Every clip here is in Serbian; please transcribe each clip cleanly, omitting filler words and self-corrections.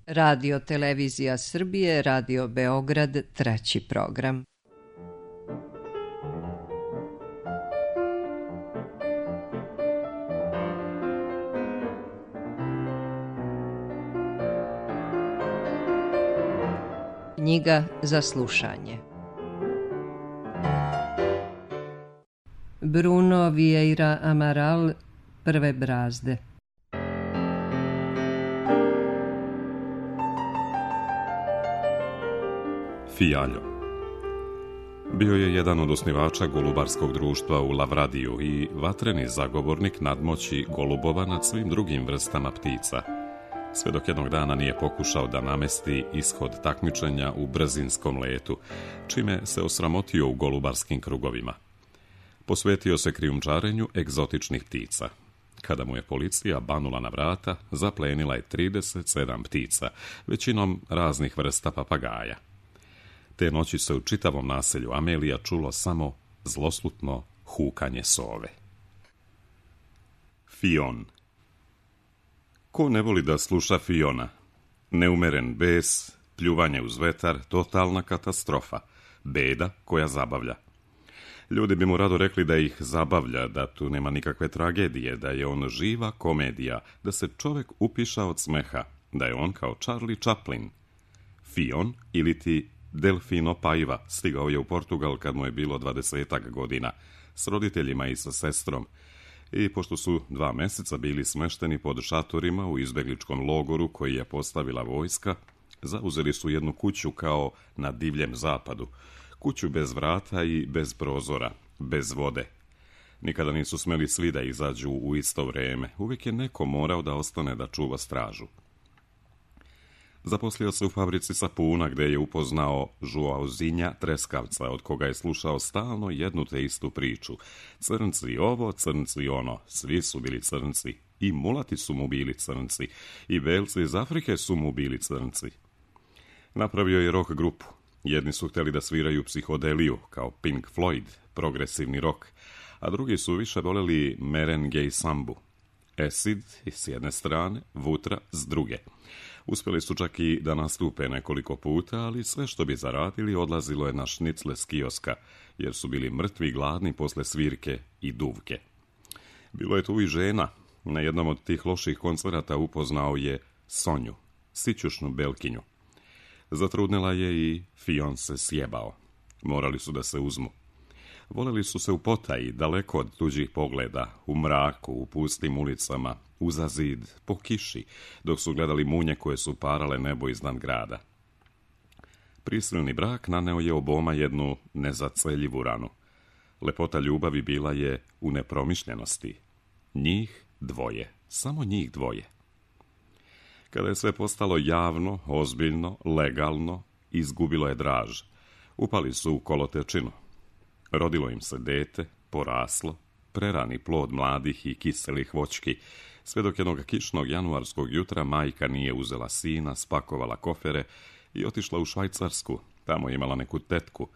Radio Televizija Srbije, Radio Beograd, treći program. Knjiga za slušanje. Bruno Vieira Amaral, Prve brazde. Fijaljo. Bio je jedan od osnivača golubarskog društva u Lavradiju i vatreni zagovornik nadmoći golubova nad svim drugim vrstama ptica, sve dok jednog dana nije pokušao da namesti ishod takmičenja u brzinskom letu, čime se osramotio u golubarskim krugovima. Posvetio se krijumčarenju egzotičnih ptica. Kada mu je policija banula na vrata, zaplenila je 37 ptica, većinom raznih vrsta papagaja. Te noći se u čitavom naselju Amelija čulo samo zloslutno hukanje sove. Fion. Ko ne voli da sluša Fiona? Neumeren bes, pljuvanje uz vetar, totalna katastrofa, beda koja zabavlja. Ljudi bi mu rado rekli da ih zabavlja, da tu nema nikakve tragedije, da je on živa komedija, da se čovjek upiša od smeha, da je on kao Charlie Chaplin. Fion ili ti Delfino Paiva stigao je u Portugal kad mu je bilo 20 godina, s roditeljima i sa sestrom, i pošto su 2 mjeseca bili smešteni pod šatorima u izbegličkom logoru koji je postavila vojska, zauzeli su jednu kuću kao na divljem zapadu, kuću bez vrata i bez prozora, bez vode. Nikada nisu smjeli svi da izađu u isto vrijeme, uvijek je neko morao da ostane da čuva stražu. Zaposlio se u fabrici sapuna gdje je upoznao Žuauzinja Treskavca, od koga je slušao stalno jednu te istu priču. Crnci ovo, crnci ono, svi su bili crnci, i mulati su mu bili crnci, i belci iz Afrike su mu bili crnci. Napravio je rock grupu. Jedni su htjeli da sviraju psihodeliju, kao Pink Floyd, progresivni rock, a drugi su više voljeli merengue i sambu. Acid s jedne strane, Vutra s druge. Uspjeli su čak i da nastupe nekoliko puta, ali sve što bi zaradili odlazilo je na šnicle s kioska, jer su bili mrtvi gladni posle svirke i duvke. Bilo je tu i žena. Na jednom od tih loših koncerata upoznao je Sonju, sićušnu belkinju. Zatrudnila je i Fion se sjebao. Morali su da se uzmu. Voleli su se u potaji, daleko od tuđih pogleda, u mraku, u pustim ulicama, uza zid, po kiši, dok su gledali munje koje su parale nebo iznad grada. Prisilni brak naneo je oboma jednu nezaceljivu ranu. Lepota ljubavi bila je u nepromišljenosti. Njih dvoje, samo njih dvoje. Kada je sve postalo javno, ozbiljno, legalno, izgubilo je draž. Upali su u kolotečinu. Rodilo im se dete, poraslo, prerani plod mladih i kiselih voćki, sve dok jednog kišnog januarskog jutra majka nije uzela sina, spakovala kofere i otišla u Švajcarsku. Tamo je imala neku tetku,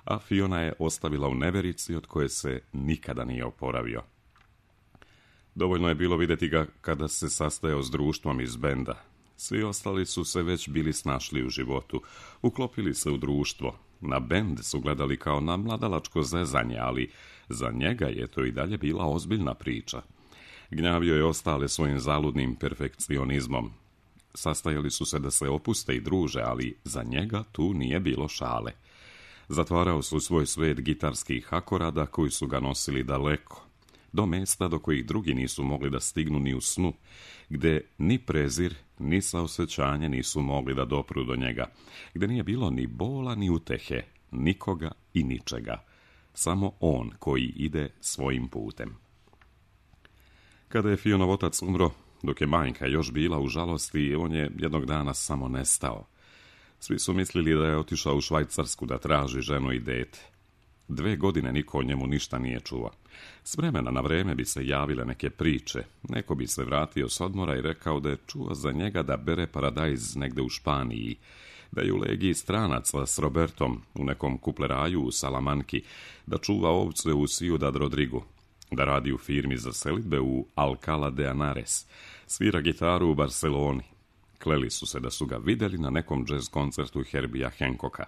a Fiona je ostavila u neverici od koje se nikada nije oporavio. Dovoljno je bilo vidjeti ga kada se sastajao s društvom iz benda. Svi ostali su se već bili snašli u životu, uklopili se u društvo. Na bend su gledali kao na mladalačko zezanje, ali za njega je to i dalje bila ozbiljna priča. Gnjavio je ostale svojim zaludnim perfekcionizmom. Sastajali su se da se opuste i druže, ali za njega tu nije bilo šale. Zatvarao su svoj svet gitarskih akorada koji su ga nosili daleko, do mjesta do kojih drugi nisu mogli da stignu ni u snu, gdje ni prezir, ni saosećanje nisu mogli da dopru do njega, gdje nije bilo ni bola ni utehe, nikoga i ničega, samo on koji ide svojim putem. Kada je Fionov otac umro, dok je majka još bila u žalosti, on je jednog dana samo nestao. Svi su mislili da je otišao u Švajcarsku da traži ženu i dete. 2 godine niko o njemu ništa nije čuo. S vremena na vreme bi se javile neke priče. Neko bi se vratio s odmora i rekao da je čuo za njega da bere paradajz negde u Španiji, da je u legiji stranaca s Robertom u nekom kupleraju u Salamanki, da čuva ovce u Ciudad Rodrigu, da radi u firmi za selidbe u Alcalá de Henares, svira gitaru u Barceloni. Kleli su se da su ga vidjeli na nekom jazz koncertu Herbija Hancocka.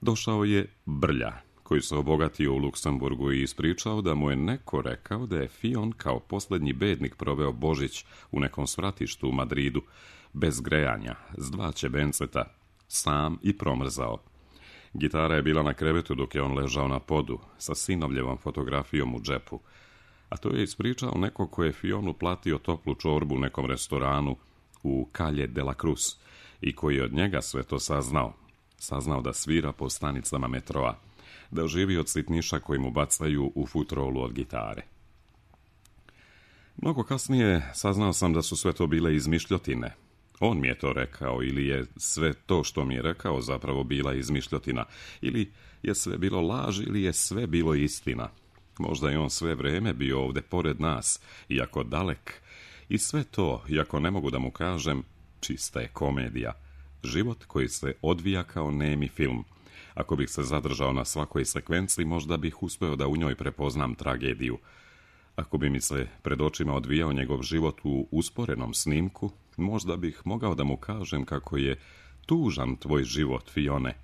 Došao je Brlja, koji se obogatio u Luksemburgu i ispričao da mu je neko rekao da je Fion kao posljednji bednik proveo Božić u nekom svratištu u Madridu, bez grejanja, s 2 ćebenceta, sam i promrzao. Gitara je bila na krevetu dok je on ležao na podu, sa sinovljevom fotografijom u džepu. A to je ispričao neko ko je Fionu platio toplu čorbu u nekom restoranu u Calle de la Cruz i koji je od njega sve to saznao. Saznao da svira po stanicama metroa, da živi od sitniša koji mu bacaju u futrolu od gitare. Mnogo kasnije saznao sam da su sve to bile izmišljotine. On mi je to rekao, ili je sve to što mi je rekao zapravo bila izmišljotina, ili je sve bilo laž, ili je sve bilo istina. Možda je on sve vrijeme bio ovdje pored nas, iako dalek. I sve to, iako ne mogu da mu kažem, čista je komedija. Život koji se odvija kao nemi film. Ako bih se zadržao na svakoj sekvenciji, možda bih uspio da u njoj prepoznam tragediju. Ako bi mi se pred očima odvijao njegov život u usporenom snimku, možda bih mogao da mu kažem kako je tužan tvoj život, Fione.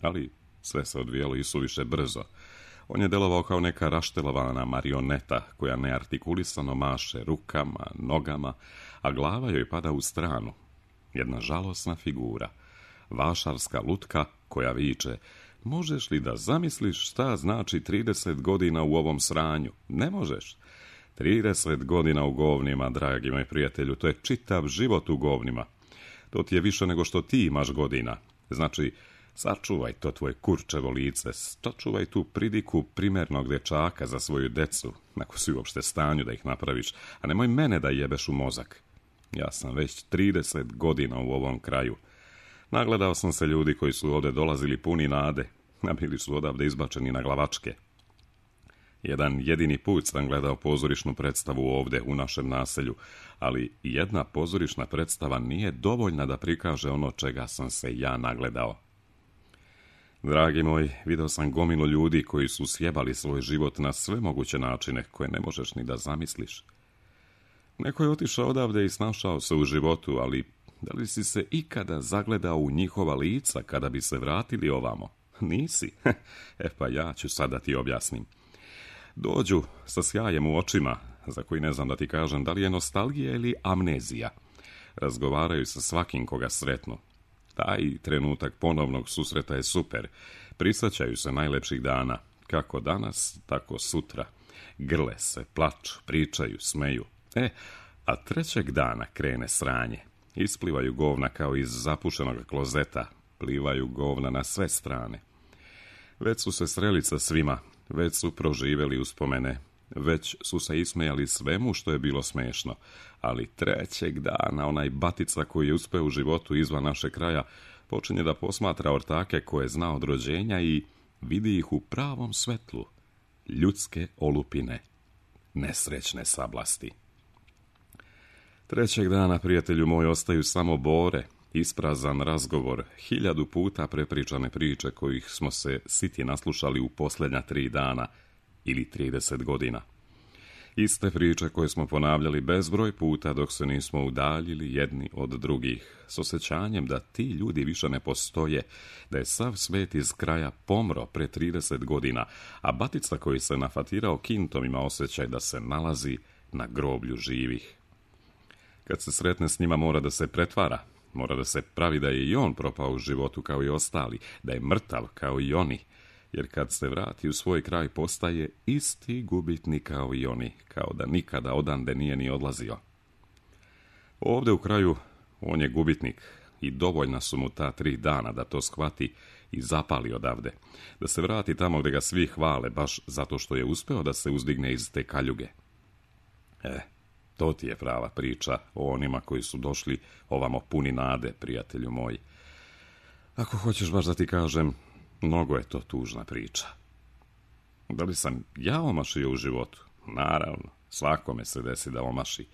Ali sve se odvijalo isuviše brzo. On je delovao kao neka raštelovana marioneta koja neartikulisano maše rukama, nogama, a glava joj pada u stranu. Jedna žalosna figura. Vašarska lutka koja viče: možeš li da zamisliš šta znači 30 godina u ovom sranju? Ne možeš. 30 godina u govnima, dragi moj prijatelju, to je čitav život u govnima. To ti je više nego što ti imaš godina. Znači, sačuvaj to tvoje kurčevo lice, sačuvaj tu pridiku primernog dečaka za svoju decu, ako si uopšte stanju da ih napraviš, a nemoj mene da jebeš u mozak. Ja sam već 30 godina u ovom kraju. Nagledao sam se ljudi koji su ovdje dolazili puni nade, a bili su odavde izbačeni na glavačke. Jedan jedini put sam gledao pozorišnu predstavu ovdje u našem naselju, ali jedna pozorišna predstava nije dovoljna da prikaže ono čega sam se ja nagledao. Dragi moj, vidio sam gomilu ljudi koji su sjebali svoj život na sve moguće načine koje ne možeš ni da zamisliš. Neko je otišao odavde i snašao se u životu, ali da li si se ikada zagledao u njihova lica kada bi se vratili ovamo? Nisi? Pa ja ću sad da ti objasnim. Dođu sa sjajem u očima, za koji ne znam da ti kažem da li je nostalgija ili amnezija. Razgovaraju sa svakim koga sretnu. Taj trenutak ponovnog susreta je super. Prisjećaju se najlepših dana, kako danas, tako sutra. Grle se, plaču, pričaju, smeju. A trećeg dana krene sranje. Isplivaju govna kao iz zapušenog klozeta. Plivaju govna na sve strane. Već su se sreli sa svima, već su proživjeli uspomene, već su se ismejali svemu što je bilo smešno, ali trećeg dana onaj batica koji je uspeo u životu izvan našeg kraja počinje da posmatra ortake koje zna od rođenja i vidi ih u pravom svetlu. Ljudske olupine, nesrećne sablasti. Trećeg dana, prijatelju moj, ostaju samo bore, isprazan razgovor, 1000 puta prepričane priče kojih smo se siti naslušali u posljednja 3 dana ili 30 godina. Iste priče koje smo ponavljali bezbroj puta dok se nismo udaljili jedni od drugih, s osjećanjem da ti ljudi više ne postoje, da je sav svet iz kraja pomro pre 30 godina, a batica koji se nafatirao kintom ima osjećaj da se nalazi na groblju živih. Kad se sretne s njima mora da se pretvara, mora da se pravi da je i on propao u životu kao i ostali, da je mrtav kao i oni, jer kad se vrati u svoj kraj postaje isti gubitnik kao i oni, kao da nikada odande nije ni odlazio. Ovdje u kraju on je gubitnik i dovoljna su mu ta 3 dana da to shvati i zapali odavde, da se vrati tamo gdje ga svi hvale baš zato što je uspeo da se uzdigne iz te kaljuge. To ti je prava priča o onima koji su došli ovamo puni nade, prijatelju moj. Ako hoćeš baš da ti kažem, mnogo je to tužna priča. Da li sam ja omašio u životu? Naravno, svakome se desi da omaši.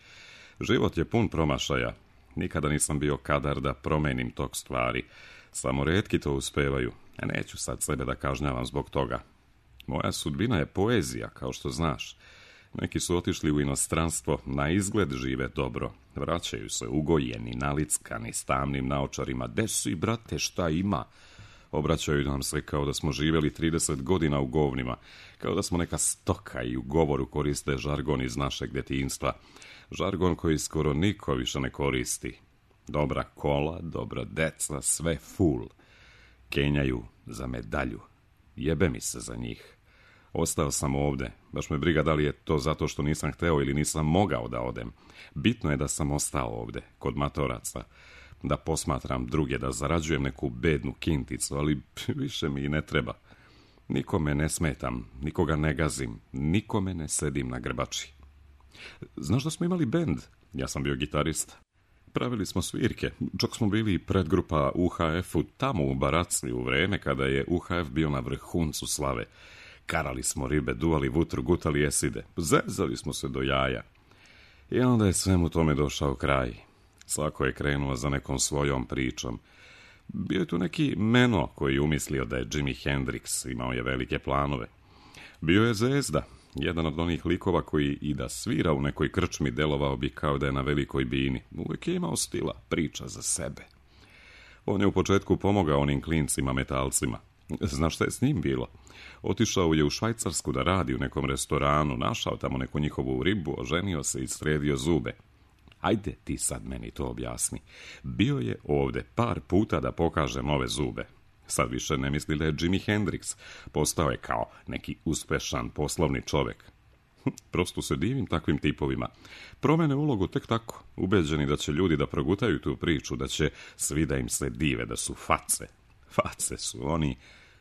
Život je pun promašaja. Nikada nisam bio kadar da promenim tok stvari. Samo retki to uspevaju. Neću sad sebe da kažnjavam zbog toga. Moja sudbina je poezija, kao što znaš. Neki su otišli u inostranstvo, na izgled žive dobro. Vraćaju se ugojeni, nalickani, s tamnim naočarima. "De si, brate, šta ima?" Obraćaju nam se kao da smo živjeli 30 godina u govnima, kao da smo neka stoka i u govoru koriste žargon iz našeg djetinjstva. Žargon koji skoro niko više ne koristi. Dobra kola, dobra deca, sve full. Kenjaju za medalju. Jebe mi se za njih. Ostao sam ovde. Baš me briga da li je to zato što nisam hteo ili nisam mogao da odem. Bitno je da sam ostao ovde, kod matoraca. Da posmatram druge, da zarađujem neku bednu kinticu, ali više mi i ne treba. Nikome ne smetam, nikoga ne gazim, nikome ne sedim na grbači. Znaš da smo imali bend? Ja sam bio gitarista. Pravili smo svirke, čak smo bili predgrupa UHF-u tamo u Baracli u vreme kada je UHF bio na vrhuncu slave. Karali smo ribe, duvali vutru, gutali eside, zezali smo se do jaja. I onda je svemu tome došao kraj. Svako je krenuo za nekom svojom pričom. Bio je tu neki Meno koji je umislio da je Jimi Hendrix, imao je velike planove. Bio je Zezda, jedan od onih likova koji i da svira u nekoj krčmi delovao bi kao da je na velikoj bini. Uvijek je imao stila, priča za sebe. On je u početku pomogao onim klincima metalcima. Znaš šta je s njim bilo? Otišao je u Švajcarsku da radi u nekom restoranu, našao tamo neku njihovu ribu, oženio se i sredio zube. Ajde ti sad meni to objasni. Bio je ovde par puta da pokaže nove zube. Sad više ne misli da je Jimi Hendrix. Postao je kao neki uspešan poslovni čovek. Prosto se divim takvim tipovima. Promene ulogu tek tako, ubeđeni da će ljudi da progutaju tu priču, da će svi da im se dive, da su face. Face su oni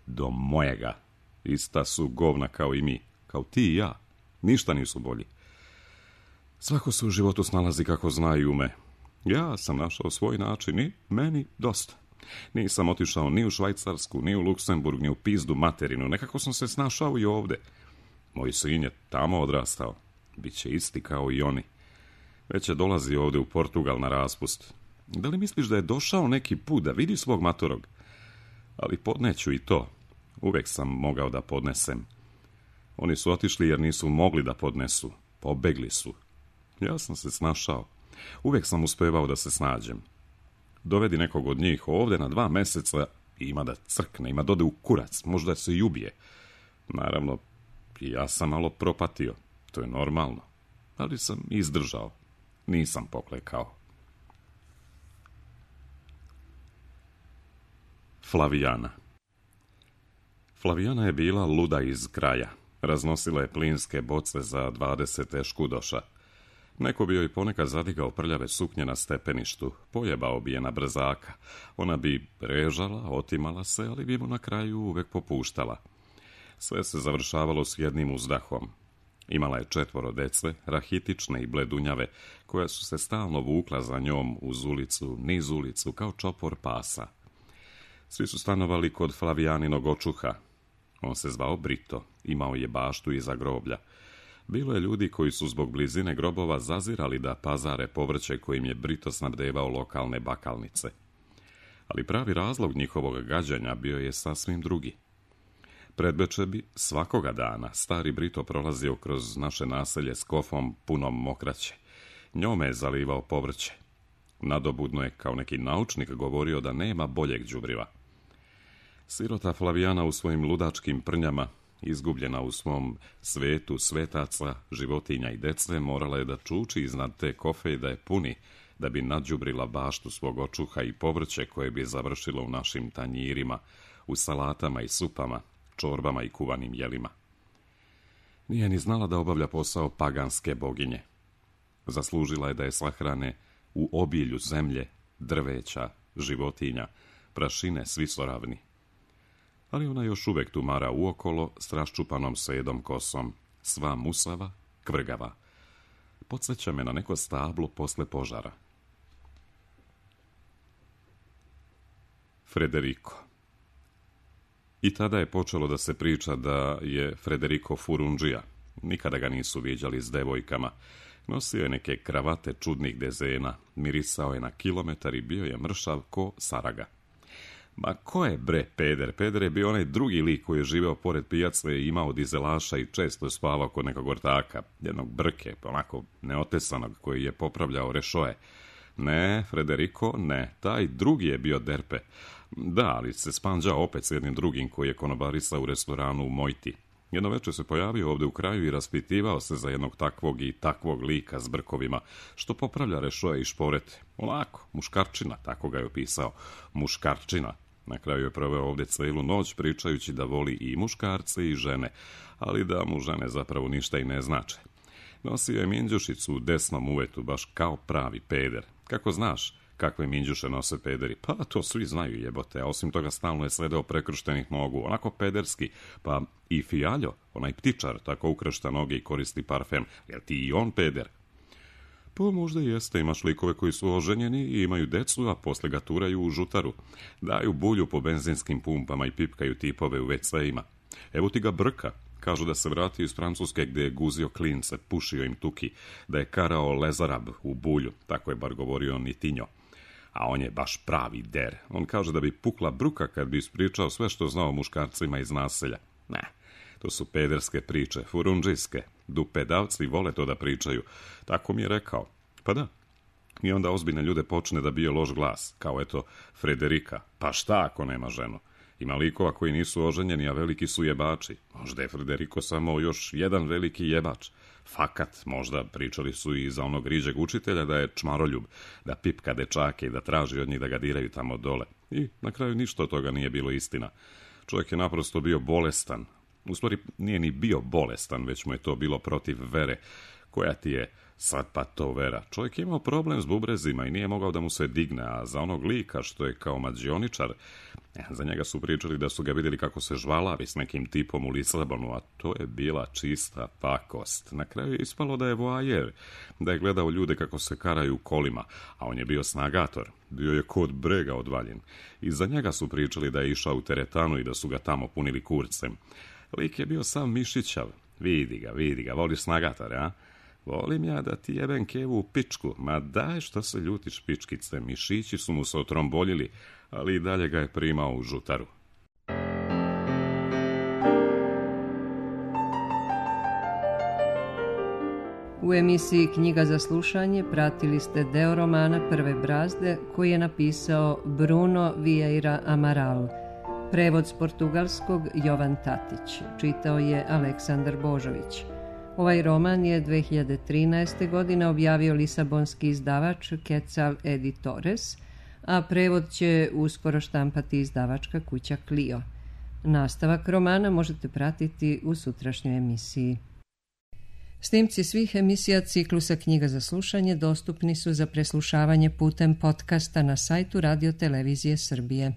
do mojega. Ista su govna kao i mi, kao ti i ja. Ništa nisu bolji. Svako se u životu snalazi kako zna i ume. Ja sam našao svoj način i meni dosta. Nisam otišao ni u Švajcarsku, ni u Luksemburg, ni u pizdu materinu. Nekako sam se snašao i ovde. Moj sin je tamo odrastao. Biće isti kao i oni. Već je dolazio ovde u Portugal na raspust. Da li misliš da je došao neki put da vidi svog matorog? Ali podneću i to. Uvek sam mogao da podnesem. Oni su otišli jer nisu mogli da podnesu. Pobegli su. Ja sam se snašao. Uvek sam uspevao da se snađem. Dovedi nekog od njih ovde na 2 meseca i ima da crkne, ima da ode u kurac, možda se i ubije. Naravno, i ja sam malo propatio. To je normalno. Ali sam izdržao. Nisam poklekao. Flavijana. Flavijana je bila luda iz kraja. Raznosila je plinske boce za 20 eškudoša. Neko bi joj ponekad zadigao prljave suknje na stepeništu, pojebao bi je na brzaka. Ona bi režala, otimala se, ali bi mu na kraju uvek popuštala. Sve se završavalo s jednim uzdahom. Imala je 4 dece, rahitične i bledunjave, koja su se stalno vukla za njom uz ulicu, niz ulicu, kao čopor pasa. Svi su stanovali kod Flavijaninog očuha. On se zvao Brito, imao je baštu iza groblja. Bilo je ljudi koji su zbog blizine grobova zazirali da pazare povrće kojim je Brito snabdevao lokalne bakalnice. Ali pravi razlog njihovog gađanja bio je sasvim drugi. Predveče bi svakoga dana stari Brito prolazio kroz naše naselje s kofom punom mokraće. Njome je zalivao povrće. Nadobudno je kao neki naučnik govorio da nema boljeg đubriva. Sirota Flavijana u svojim ludačkim prnjama, izgubljena u svom svetu svetaca, životinja i dece, morala je da čuči iznad te kofe i da je puni, da bi nadđubrila baštu svog očuha i povrće koje bi završilo u našim tanjirima, u salatama i supama, čorbama i kuvanim jelima. Nije ni znala da obavlja posao paganske boginje. Zaslužila je da je sahrane u obilju zemlje, drveća, životinja, prašine, svi su ravni. Ali ona još uvek tumara uokolo s raščupanom sedom kosom, sva musava, kvrgava. Podsjeća me na neko stablo posle požara. Frederico. I tada je počelo da se priča da je Frederico furundžija. Nikada ga nisu viđali s devojkama. Nosio je neke kravate čudnih dezena, mirisao je na kilometar i bio je mršav ko saraga. Ma ko je bre peder? Peder je bio onaj drugi lik koji je živeo pored pijace i imao dizelaša i često je spavao kod nekog ortaka, jednog brke, onako neotesanog, koji je popravljao rešoje. Ne, Frederico, ne, taj drugi je bio derpe. Da, ali se spanđao opet s jednim drugim koji je konobarisao u restoranu u Mojti. Jedno večer se pojavio ovde u kraju i raspitivao se za jednog takvog i takvog lika s brkovima, što popravlja rešoje i šporete. Onako, muškarčina, tako ga je opisao, muškarčina. Na kraju je proveo ovde celu noć pričajući da voli i muškarce i žene, ali da mu žene zapravo ništa i ne znače. Nosio je minđušicu u desnom uvetu, baš kao pravi peder. Kako znaš kakve minđuše nose pederi? Pa to svi znaju, jebote, a osim toga stalno je sledao prekrštenih nogu, onako pederski. Pa i Fijaljo, onaj ptičar, tako ukršta noge i koristi parfem. Jel ti i on peder? Pa možda jeste, imaš likove koji su oženjeni i imaju decu, a posle ga turaju u žutaru. Daju bulju po benzinskim pumpama i pipkaju tipove u WC-ima. Evo ti ga Brka. Kažu da se vratio iz Francuske gde je guzio klince, pušio im tuki, da je karao lezarab u bulju, tako je bar govorio Nitinjo. A on je baš pravi der. On kaže da bi pukla bruka kad bi ispričao sve što znao o muškarcima iz naselja. Ne, to su pederske priče, furundžijske. Dupedavci vole to da pričaju. Tako mi je rekao. Pa da. I onda ozbiljne ljude počne da bije loš glas, kao eto Frederika. Pa šta ako nema ženu? Ima likova koji nisu oženjeni, a veliki su jebači. Možda je Frederico samo još jedan veliki jebač. Fakat, možda pričali su i za onog riđeg učitelja da je čmaroljub, da pipka dečake i da traži od njih da ga diraju tamo dole. I na kraju ništa od toga nije bilo istina. Čovjek je naprosto bio bolestan. U stvari nije ni bio bolestan, već mu je to bilo protiv vere. Koja ti je sad pa to vera? Čovjek je imao problem s bubrezima i nije mogao da mu se digne, a za onog lika što je kao mađioničar, za njega su pričali da su ga vidjeli kako se žvalavi s nekim tipom u Lisabonu, a to je bila čista pakost. Na kraju je ispalo da je voajer, da je gledao ljude kako se karaju kolima, a on je bio snagator, bio je kod brega odvaljen. I za njega su pričali da je išao u teretanu i da su ga tamo punili kurcem. Lik je bio sam mišićav. Vidi ga, voliš snagatore, a? Volim ja da ti jebem kevu u pičku. Ma daj, što se ljutiš, pičkice, mišići su mu se otromboljili, ali i dalje ga je primao u žutaru. U emisiji Knjiga za slušanje pratili ste deo romana Prve brazde koji je napisao Bruno Vieira Amaral. Prevod s portugalskog Jovan Tatić. Čitao je Aleksandar Božović. Ovaj roman je 2013. godine objavio lisabonski izdavač Quetzal Editores, a prevod će uskoro štampati izdavačka kuća Clio. Nastavak romana možete pratiti u sutrašnjoj emisiji. Snimci svih emisija ciklusa Knjiga za slušanje dostupni su za preslušavanje putem podcasta na sajtu Radio Televizije Srbije.